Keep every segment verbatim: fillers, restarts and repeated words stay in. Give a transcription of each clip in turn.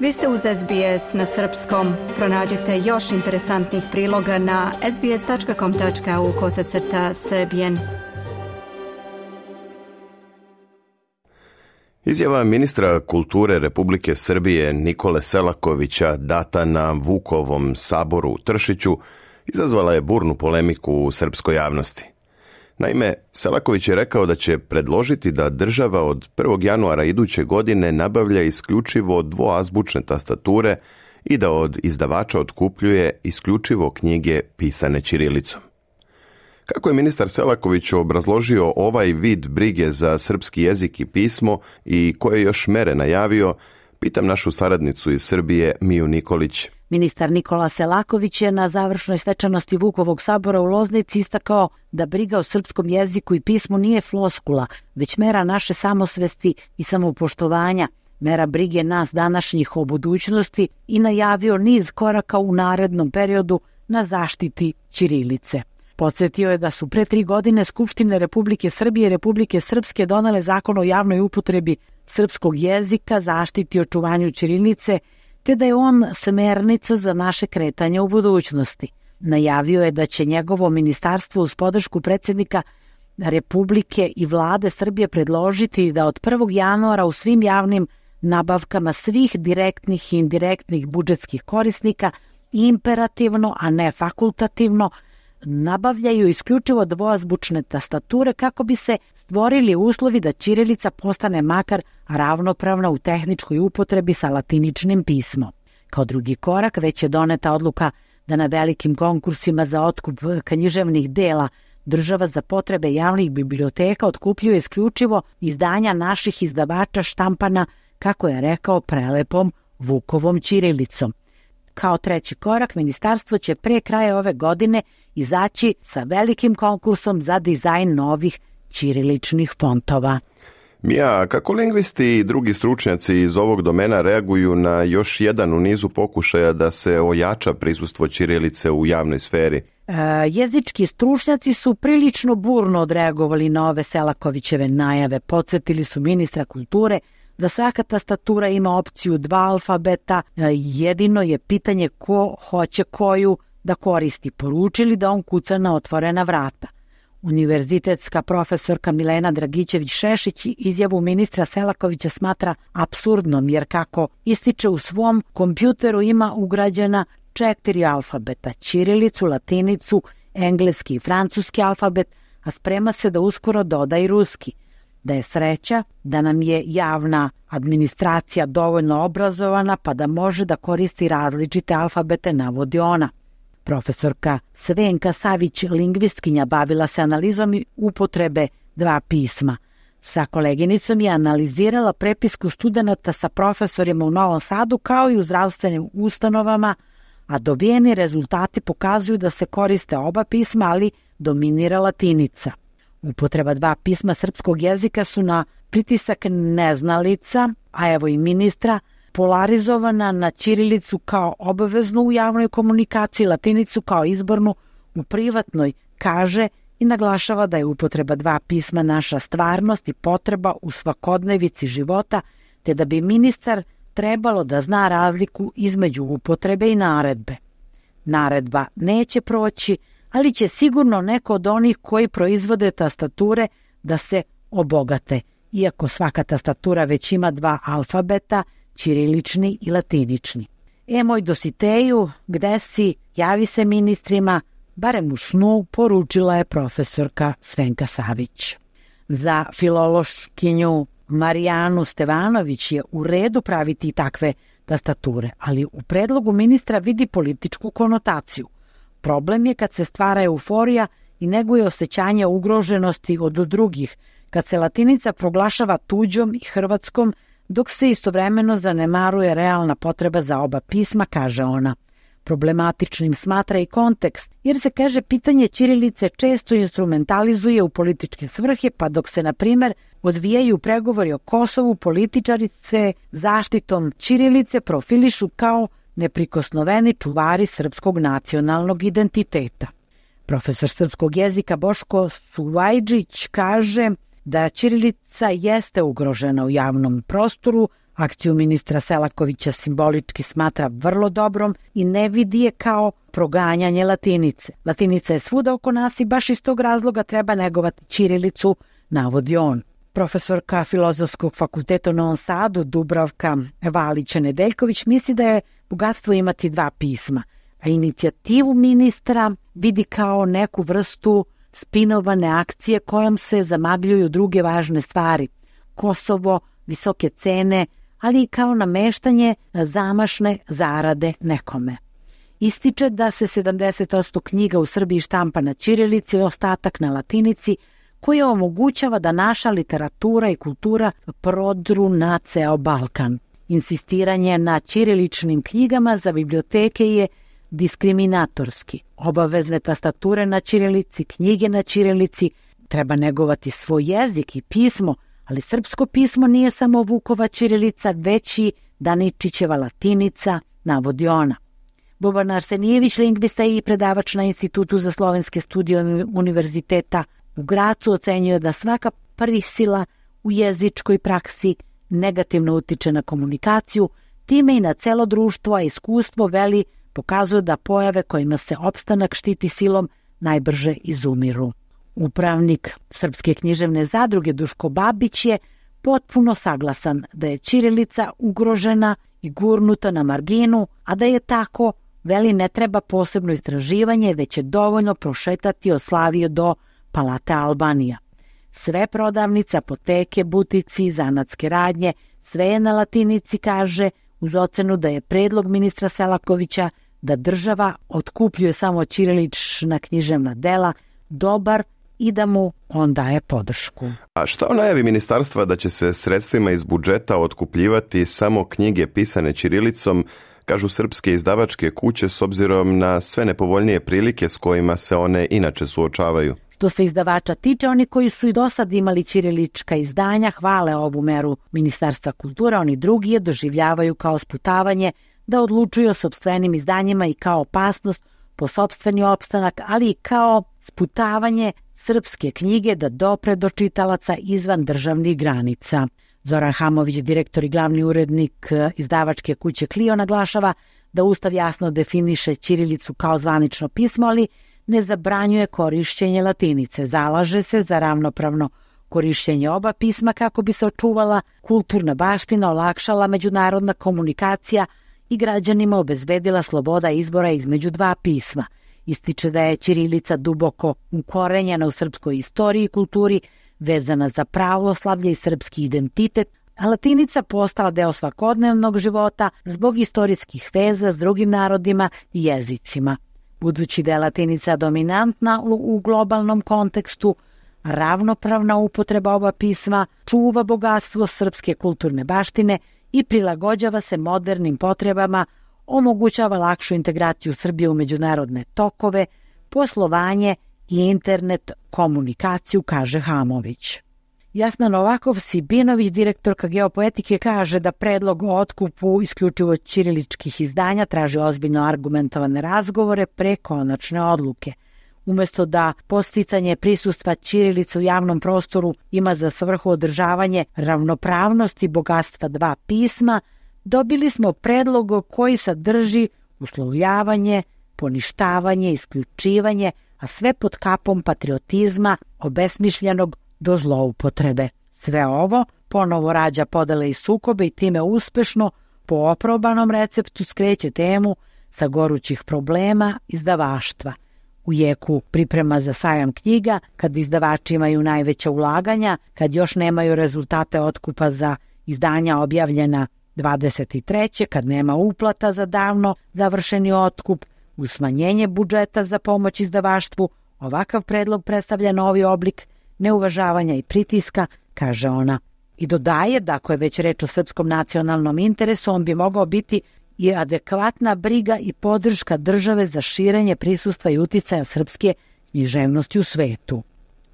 Vi ste uz S B S na srpskom. Pronađite još interesantnih priloga na sbs.com.au kosacrta srbijen. Izjava ministra kulture Republike Srbije Nikole Selakovića data na Vukovom saboru u Tršiću izazvala je burnu polemiku u srpskoj javnosti. Naime, Selaković je rekao da će predložiti da država od prvog januara iduće godine nabavlja isključivo dvoazbučne tastature i da od izdavača otkupljuje isključivo knjige pisane ćirilicom. Kako je ministar Selaković obrazložio ovaj vid brige za srpski jezik i pismo i koje još mere najavio, pitam našu saradnicu iz Srbije Miju Nikolić. Ministar Nikola Selaković je na završnoj svečanosti Vukovog sabora u Loznici istakao da briga o srpskom jeziku i pismu nije floskula, već mera naše samosvesti i samoupoštovanja, mera brige nas današnjih o budućnosti i najavio niz koraka u narednom periodu na zaštiti ćirilice. Podsjetio je da su pre tri godine Skupštine Republike Srbije i Republike Srpske donele zakon o javnoj upotrebi srpskog jezika, zaštiti i očuvanju ćirilice, te da je on smernica za naše kretanje u budućnosti. Najavio je da će njegovo ministarstvo uz podršku predsjednika Republike i vlade Srbije predložiti da od prvog januara u svim javnim nabavkama svih direktnih i indirektnih budžetskih korisnika imperativno, a ne fakultativno, nabavljaju isključivo dvoazbučne tastature kako bi se stvorili uslovi da ćirilica postane makar ravnopravna u tehničkoj upotrebi sa latiničnim pismom. Kao drugi korak već je doneta odluka da na velikim konkursima za otkup književnih dela država za potrebe javnih biblioteka otkupljuje isključivo izdanja naših izdavača štampana, kako je rekao, prelepom Vukovom ćirilicom. Kao treći korak, ministarstvo će pre kraja ove godine izaći sa velikim konkursom za dizajn novih ćiriličnih fontova. Mija, kako lingvisti i drugi stručnjaci iz ovog domena reaguju na još jedan u nizu pokušaja da se ojača prisustvo ćirilice u javnoj sferi? E, jezički stručnjaci su prilično burno odreagovali na ove Selakovićeve najave. Podsjetili su ministra kulture da svaka tastatura ima opciju dva alfabeta, jedino je pitanje ko hoće koju da koristi. Poručili da on kuca na otvorena vrata. Univerzitetska profesorka Milena Dragićević-Šešić izjavu ministra Selakovića smatra apsurdnom, jer kako ističe u svom kompjuteru ima ugrađena četiri alfabeta, ćirilicu, latinicu, engleski i francuski alfabet, a sprema se da uskoro doda i ruski. Da je sreća da nam je javna administracija dovoljno obrazovana pa da može da koristi različite alfabete, navodi ona. Profesorka Svenka Savić, lingvistkinja, bavila se analizom i upotrebe dva pisma. Sa koleginicom je analizirala prepisku studenata sa profesorima u Novom Sadu kao i u zdravstvenim ustanovama, a dobijeni rezultati pokazuju da se koriste oba pisma, ali dominira latinica. Upotreba dva pisma srpskog jezika su na pritisak neznalica, a evo i ministra, polarizovana na ćirilicu kao obaveznu u javnoj komunikaciji, latinicu kao izbornu u privatnoj, kaže i naglašava da je upotreba dva pisma naša stvarnost i potreba u svakodnevici života, te da bi ministar trebalo da zna razliku između upotrebe i naredbe. Naredba neće proći, ali će sigurno neko od onih koji proizvode tastature da se obogate, iako svaka tastatura već ima dva alfabeta, ćirilični i latinični. E, moj Dositeju, gde si, javi se ministrima, barem u snu, poručila je profesorka Svenka Savić. Za filološkinju Marijanu Stevanović je u redu praviti takve tastature, ali u predlogu ministra vidi političku konotaciju. Problem je kad se stvara euforija i neguje osjećanje ugroženosti od drugih, kad se latinica proglašava tuđom i hrvatskom, dok se istovremeno zanemaruje realna potreba za oba pisma, kaže ona. Problematičnim smatra i kontekst, jer se, kaže, pitanje ćirilice često instrumentalizuje u političke svrhe, pa dok se, na primjer, odvijaju pregovori o Kosovu, političari se zaštitom ćirilice profilišu kao neprikosnoveni čuvari srpskog nacionalnog identiteta. Profesor srpskog jezika Boško Suvajđić kaže da ćirilica jeste ugrožena u javnom prostoru, Akciju ministra Selakovića simbolički smatra vrlo dobrom i ne vidi je kao proganjanje latinice. Latinica je svuda oko nas i baš iz tog razloga treba negovati ćirilicu, navodi on. Profesorka Filozofskog fakulteta u Novom Sadu Dubravka Valića-Nedeljković misli da je bogatstvo imati dva pisma, a inicijativu ministra vidi kao neku vrstu spinovane akcije kojom se zamagljuju druge važne stvari. Kosovo, visoke cene, ali i kao nameštanje zamašne zarade nekome. Ističe da se sedamdeset posto knjiga u Srbiji štampa na ćirilici i ostatak na latinici, koji omogućava da naša literatura i kultura prodru na ceo Balkan. Insistiranje na ćiriličnim knjigama za biblioteke je diskriminatorski. Obavezne tastature na ćirilici, knjige na ćirilici, treba negovati svoj jezik i pismo, ali srpsko pismo nije samo Vukova ćirilica, već i Daničićeva latinica, navodi ona. Boban Arsenijević, lingvista i predavač na Institutu za slovenske studije Univerziteta u Gracu, ocenjuje da svaka prisila u jezičkoj praksi negativno utiče na komunikaciju, time i na celo društvo, a iskustvo veli pokazuje da pojave kojima se opstanak štiti silom najbrže izumiru. Upravnik Srpske književne zadruge Duško Babić je potpuno saglasan da je ćirilica ugrožena i gurnuta na marginu, a da je tako, veli, ne treba posebno istraživanje, već je dovoljno prošetati od Slavije do Palate Albanija. Sve prodavnice, apoteke, butici, zanatske radnje, sve je na latinici, kaže, uz ocenu da je predlog ministra Selakovića da država otkupljuje samo ćirilična književna dela dobar i da mu on daje podršku. A šta o najavi ministarstva da će se sredstvima iz budžeta otkupljivati samo knjige pisane ćirilicom, kažu srpske izdavačke kuće, s obzirom na sve nepovoljnije prilike s kojima se one inače suočavaju? Što se izdavača tiče, oni koji su i do sad imali ćirilička izdanja hvale ovu meru Ministarstva kulture, oni drugi je doživljavaju kao sputavanje da odlučuju o sopstvenim izdanjima i kao opasnost po sopstveni opstanak, ali i kao sputavanje srpske knjige da dopre do čitalaca izvan državnih granica. Zoran Hamović, direktor i glavni urednik izdavačke kuće Clio, naglašava da Ustav jasno definiše ćirilicu kao zvanično pismo, ali ne zabranjuje korišćenje latinice. Zalaže se za ravnopravno korišćenje oba pisma kako bi se očuvala kulturna baština, olakšala međunarodna komunikacija i građanima obezbedila sloboda izbora između dva pisma. Ističe da je ćirilica duboko ukorenjena u srpskoj istoriji i kulturi, vezana za pravoslavlje i srpski identitet, a latinica postala deo svakodnevnog života zbog istorijskih veza s drugim narodima i jezicima. Budući da je latinica dominantna u globalnom kontekstu, ravnopravna upotreba oba pisma čuva bogatstvo srpske kulturne baštine i prilagođava se modernim potrebama, omogućava lakšu integraciju Srbije u međunarodne tokove, poslovanje i internet komunikaciju, kaže Hamović. Jasna Novakov-Sibinović, direktorka geopoetike, kaže da predlog o otkupu isključivo ćiriličkih izdanja traži ozbiljno argumentovane razgovore pre konačne odluke. Umesto da podsticanje prisustva ćirilice u javnom prostoru ima za svrhu održavanje ravnopravnosti bogatstva dva pisma, dobili smo predlog koji sadrži uslovljavanje, poništavanje, isključivanje, a sve pod kapom patriotizma obesmišljenog do zloupotrebe. Sve ovo ponovo rađa podele i sukobe i time uspešno po oprobanom receptu skreće temu sa gorućih problema izdavaštva. U jeku priprema za sajam knjiga, kad izdavači imaju najveća ulaganja, kad još nemaju rezultate otkupa za izdanja objavljena dvadeset treće kad nema uplata za davno završeni otkup, uz smanjenje budžeta za pomoć izdavaštvu, ovakav predlog predstavlja novi oblik neuvažavanja i pritiska, kaže ona. I dodaje da ako je već reč o srpskom nacionalnom interesu, on bi mogao biti i adekvatna briga i podrška države za širenje prisustva i uticaja srpske književnosti u svetu.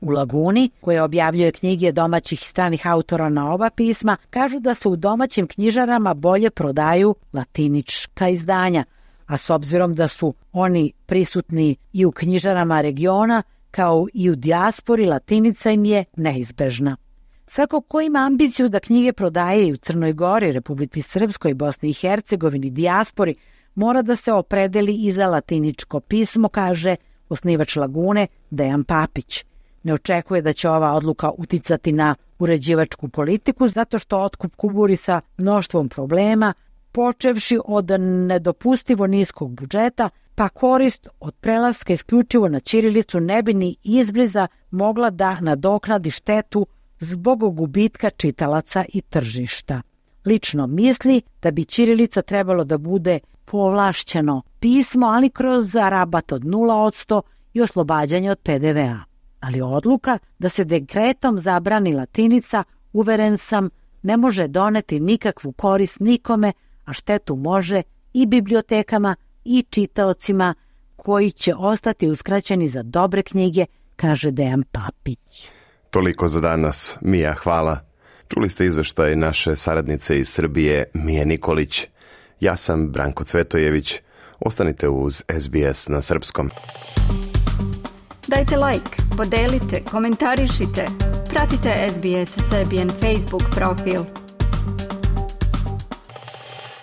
U Laguni, koja objavljuje knjige domaćih i stranih autora na oba pisma, kažu da se u domaćim knjižarama bolje prodaju latinička izdanja, a s obzirom da su oni prisutni i u knjižarama regiona, kao i u dijaspori, latinica im je neizbežna. Svako ko ima ambiciju da knjige prodaje i u Crnoj Gori, Republici Srpskoj, Bosni i Hercegovini, dijaspori, mora da se opredeli i za latiničko pismo, kaže osnivač Lagune Dejan Papić. Ne očekuje da će ova odluka uticati na uređivačku politiku zato što otkup kuburi sa mnoštvom problema, počevši od nedopustivo niskog budžeta, pa korist od prelaska isključivo na ćirilicu ne bi ni izbliza mogla da nadoknadi štetu zbog gubitka čitalaca i tržišta. Lično misli da bi ćirilica trebalo da bude povlašćeno pismo, ali kroz rabat od nula posto i oslobađanje od pe de ve a. Ali odluka da se dekretom zabrani latinica, uveren sam, ne može doneti nikakvu korist nikome, a štetu može i bibliotekama i čitaocima koji će ostati uskraćeni za dobre knjige, kaže Dejan Papić. Toliko za danas. Mija, hvala. Čuli ste izveštaj naše saradnice iz Srbije, Mije Nikolić. Ja sam Branko Cvetojević. Ostanite uz es be es na srpskom. Dajte like, podelite, komentarišite. Pratite es be es Serbian Facebook profil.